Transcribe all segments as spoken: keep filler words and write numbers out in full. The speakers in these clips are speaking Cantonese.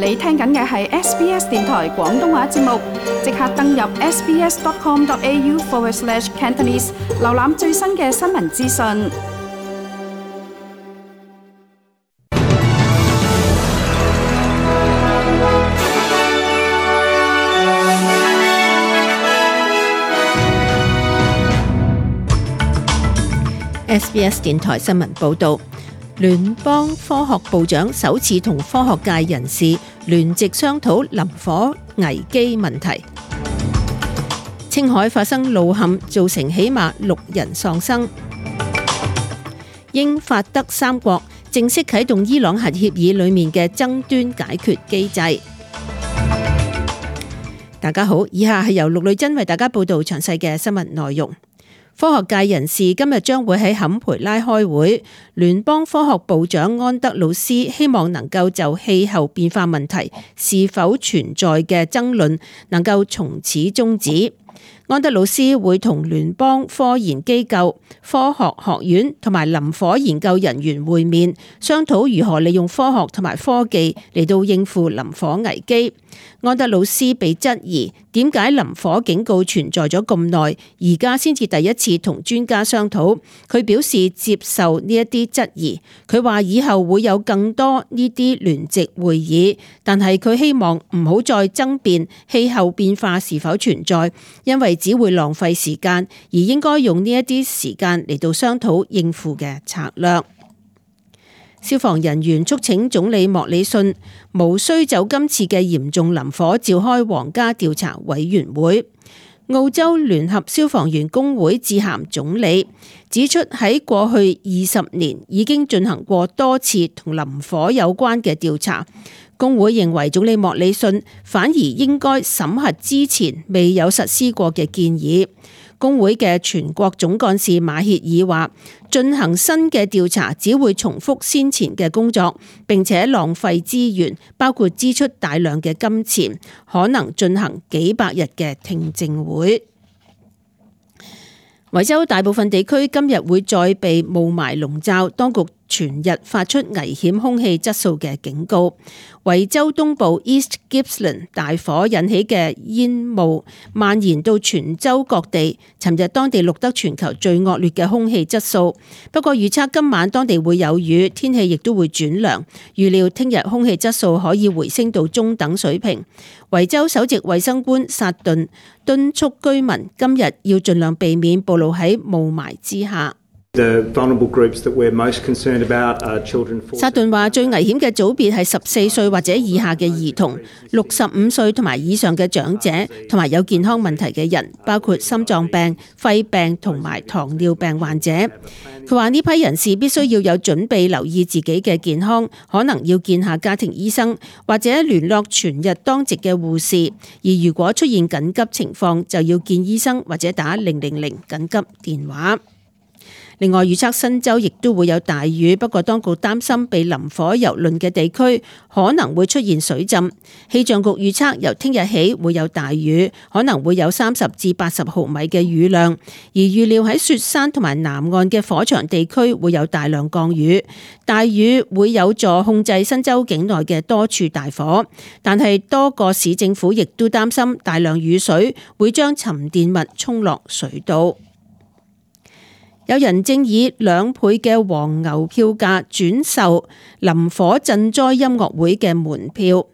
你聽緊嘅係 S B S 電台廣東話節目，即刻登入 sbs.com.au forward slash Cantonese， 瀏覽最新嘅新聞資訊。S B S 電台新聞報導，聯邦科學部長首次同科學界人士聯席商討林火危機問題。青海發生路陷，造成起碼六人喪生。英法德三國正式啟動伊朗核協議裡面嘅爭端解決機制。大家好，以下係由陸女珍為大家報導詳細嘅新聞內容。科學界人士今日將會喺坎培拉開會，聯邦科學部長安德魯斯希望能夠就氣候變化問題是否存在嘅爭論能夠從此終止。安德魯斯會同聯邦科研機構、科學學院同埋林火研究人員會面，商討如何利用科學同埋科技嚟到應付林火危機。安德魯斯被質疑點解林火警告存在咗咁耐，而家先至第一次同專家商討。佢表示接受呢一啲質疑，佢話以後會有更多呢啲聯席會議，但係佢希望唔好再爭辯氣候變化是否存在，因為只會浪費時間，而應該用呢一啲時間嚟到商討應付嘅策略。消防人員促請總理莫里遜無需就今次嘅嚴重林火召開皇家調查委員會。澳洲聯合消防員工會致函總理，指出喺過去二十年已經進行過多次同林火有關嘅調查。工會認為總理莫里遜反而應該審核之前未有實施過嘅建議。工會嘅全國總幹事馬歇爾話，進行新嘅調查只會重複先前嘅工作，並且浪費資源，包括支出大量嘅金錢，可能進行幾百日嘅聽證會。維州大部分地區今日會再被霧霾籠罩，當局全日發出危險空氣質素嘅警告。維州東部 East Gippsland 大火引起嘅煙霧蔓延到全州各地，尋日當地錄得全球最惡劣嘅空氣質素。不過預測今晚當地會有雨，天氣亦都會轉涼。預料聽日空氣質素可以回升到中等水平。維州首席衛生官薩頓敦促居民今日要盡量避免暴露喺霧霾之下。薩頓話最危險嘅組別係十四歲或者以下嘅兒童、六十五歲同埋以上嘅長者，同埋有健康問題嘅人，包括心臟病、肺病同埋糖尿病患者。佢話呢批人士必須要有準備留意自己嘅健康，可能要見下家庭醫生或者聯絡全日當值嘅護士，而如果出現緊急情況就要見醫生或者打零零零緊急電話。另外預測新州亦都會有大雨，不過當局擔心被林火蹂躪嘅地區可能會出現水浸。氣象局預測由聽日起會有大雨，可能會有三十至八十毫米嘅雨量，而預料喺雪山同埋南岸嘅火場地區會有大量降雨。大雨會有助控制新州境內嘅多處大火，但係多個市政府亦都擔心大量雨水會將沉澱物沖落水道。有人正以兩倍嘅黃牛票價轉售林火賑災音樂會嘅門票，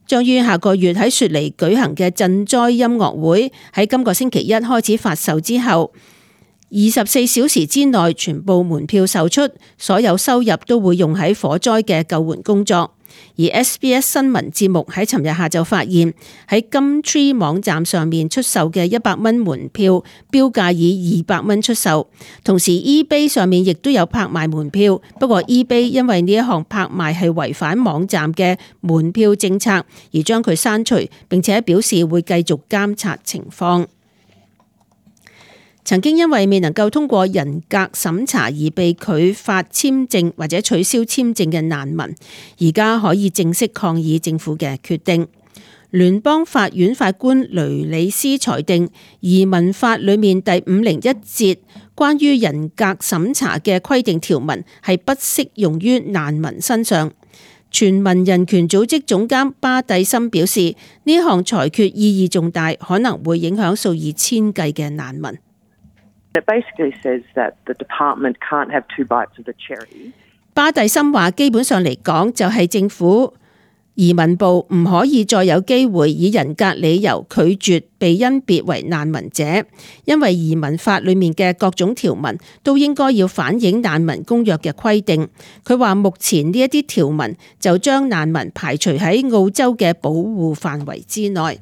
將於下個月喺雪梨舉行嘅賑災音樂會喺今個星期一開始發售之後，二十四小時之內全部門票售出，所有收入都會用喺火災嘅救援工作。而 S B S 新聞節目喺尋日下晝發現，喺金 Tree 網站上面出售嘅一百蚊門票標價以二百蚊出售，同時 eBay 上面亦都有拍賣門票，不過 eBay 因為呢一項拍賣係違反網站嘅門票政策，而將佢刪除，並且表示會繼續監察情況。曾經因為未能夠通過人格審查而被拒發簽證或者取消簽證嘅難民，而家可以正式抗議政府嘅決定。聯邦法院法官雷里斯裁定，移民法裏面第五零一節關於人格審查嘅規定條文係不適用於難民身上。全民人權組織總監巴蒂森表示，呢項裁決意義重大，可能會影響數以千計嘅難民。It basically says that the department can't have two bites of the cherry. 巴蒂森話，基本上嚟講，就係政府移民部唔可以再有機會以人格理由拒絕被甄別為難民者，因為移民法裏面嘅各種條文都應該要反映難民公約嘅規定。佢話目前呢一啲條文就將難民排除喺澳洲嘅保護範圍之內。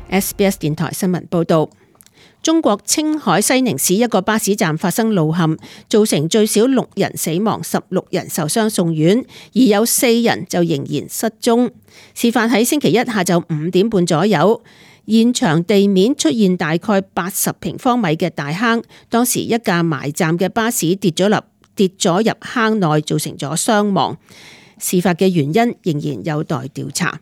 S B S 電台新聞報道。中國青海西寧市一個巴士站發生路陷，造成最少六人死亡，十六人受傷送院，而有四人就仍然失蹤。事發喺星期一下晝五點半左右，現場地面出現大概八十平方米嘅大坑，當時一架埋站嘅巴士跌咗入跌咗入坑內，造成咗傷亡。事發嘅原因仍然有待調查。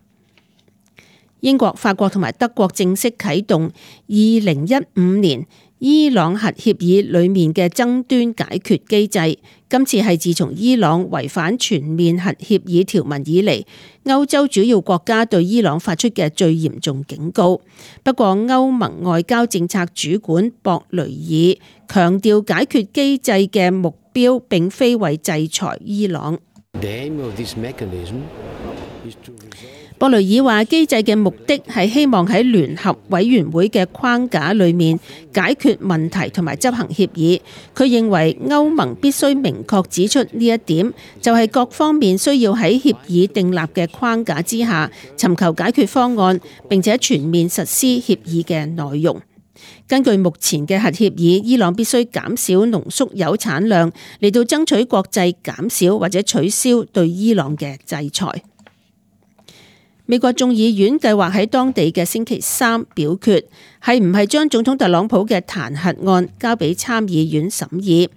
英國、法國同埋德國正式啟動二零一五年伊朗核協議裏面嘅爭端解決機制。今次係自從伊朗違反全面核協議條文以嚟，歐洲主要國家對伊朗發出嘅最嚴重警告。不過，歐盟外交政策主管博雷爾強調，解決機制嘅目標並非為制裁伊朗。博雷爾話，機制嘅目的係希望喺聯合委員會嘅框架裏面解決問題同埋執行協議。佢認為歐盟必須明確指出呢一點，就係各方面需要喺協議訂立嘅框架之下尋求解決方案，並且全面實施協議嘅內容。根據目前嘅核協議，伊朗必須減少濃縮鈾產量嚟到爭取國際減少或者取消對伊朗嘅制裁。美國眾議院計劃喺當地嘅星期三表決，係唔係將總統特朗普嘅彈劾案交俾參議院審議。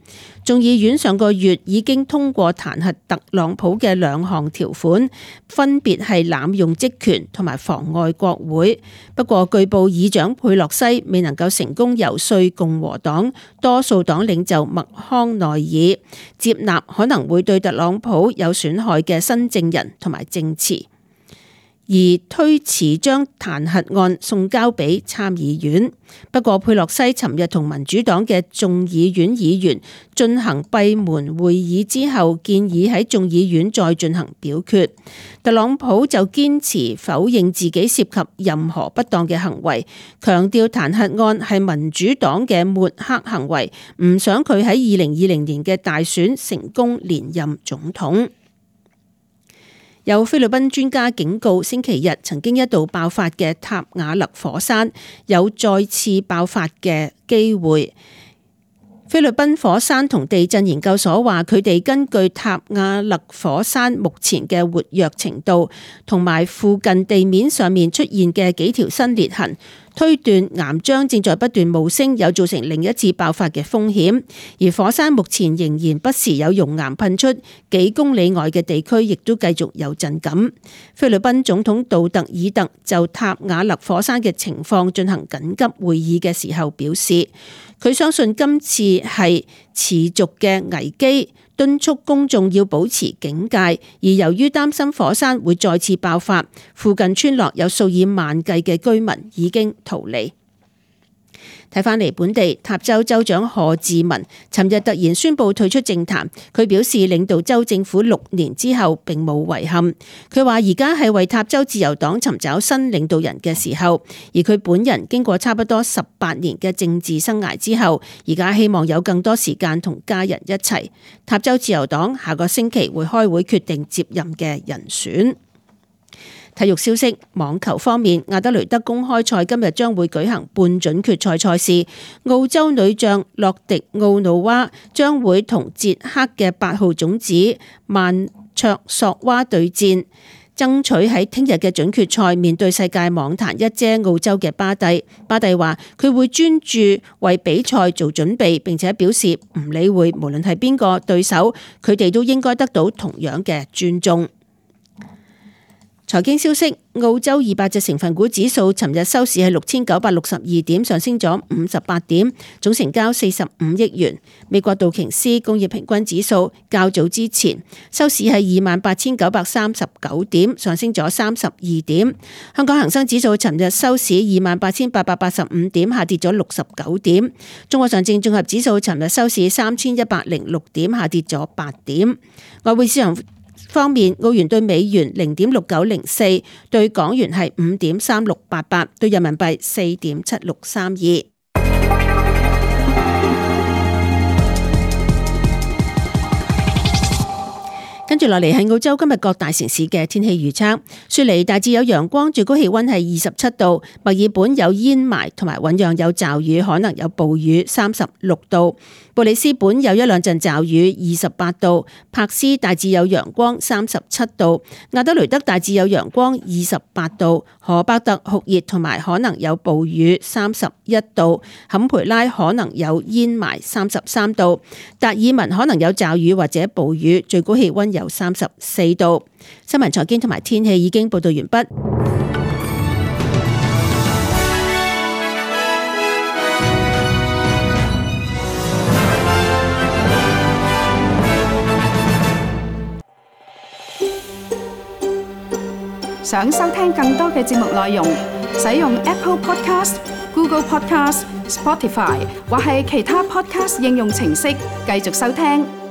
眾議院上個月已經通過彈劾特朗普嘅兩項條款，分別係濫用職權同埋妨礙國會。不過據報議長佩洛西未能夠成功游說共和黨多數黨領袖麥康奈爾接納可能會對特朗普有損害嘅新證人同埋證詞，而推遲將彈劾案送交俾參議院。不過佩洛西尋日同民主黨嘅眾議院議員進行閉門會議之後，建議喺眾議院再進行表決。特朗普就堅持否認自己涉及任何不當嘅行為，強調彈劾案係民主黨嘅抹黑行為，唔想佢喺二零二零年嘅大選成功連任總統。有菲律賓專家警告，星期日曾經一度爆發嘅塔瓦勒火山有再次爆發嘅機會。菲律賓火山同地震研究所話，佢哋根據塔瓦勒火山目前嘅活躍程度，同埋附近地面上面出現嘅幾條新裂痕，推斷岩漿正在不斷冒升，有造成另一次爆發嘅風險。而火山目前仍然不時有熔岩噴出，幾公里外嘅地區亦都繼續有震感。菲律賓總統杜特爾特就塔瓦勒火山嘅情況進行緊急會議嘅時候表示，佢相信今次係持續嘅危機，敦促公眾要保持警戒。而由於擔心火山會再次爆發，附近村落有數以萬計嘅居民已經逃離。睇返嚟本地，塔州州長賀志文尋日突然宣布退出政壇。佢表示領導州政府六年之後並冇遺憾。佢話而家係為塔州自由黨尋找新領導人嘅時候，而佢本人經過差不多十八年嘅政治生涯之後，而家希望有更多時間同家人一齊。塔州自由黨下個星期會開會決定接任嘅人選。體育消息，網球方面，阿德雷德公開賽今日將會舉行半準決賽賽事，澳洲女將洛迪奧努娃將會同捷克嘅八號種子曼卓索娃對戰，爭取喺聽日嘅準決賽面對世界網壇一姐澳洲嘅巴蒂。巴蒂話佢會專注為比賽做準備，並且表示唔理會無論係邊個對手，佢哋都應該得到同樣嘅尊重。財經消息，澳洲二百隻成分股指數尋日收市係六千九百六十二點，上升咗五十八點，總成交四十五億元。美國道瓊斯工業平均指數較早之前收市係二萬八千九百三十九點，上升咗三十二點。香港恒生指數尋日收市二萬八千八百八十五點，下跌咗六十九點。中國上證綜合指數尋日收市三千一百零六點，下跌咗八點。外匯市場方面，澳元對美元零點六九零四，對港元係五點三六八八，對人民幣四點七六三二。跟住落嚟係澳洲今日各大城市嘅天氣預測。雪梨大致有陽光，最高氣溫係二十七度；墨爾本有煙霾同埋醞釀有驟雨，可能有暴雨，三十六度；布里斯本有一兩陣驟雨，二十八度；柏斯大致有陽光，三十七度；亞德雷德大致有陽光，二十八度；荷伯特酷熱同埋可能有暴雨，三十一度；坎培拉可能有煙霾，三十三度；達爾文可能有驟雨或者暴雨，最高氣溫有三十四度。新聞財經同埋天氣已經報道完畢。想收聽更多嘅節目內容，使用 Apple Podcast、Google Podcast、Spotify 或係其他 Podcast 應用程式繼續收聽。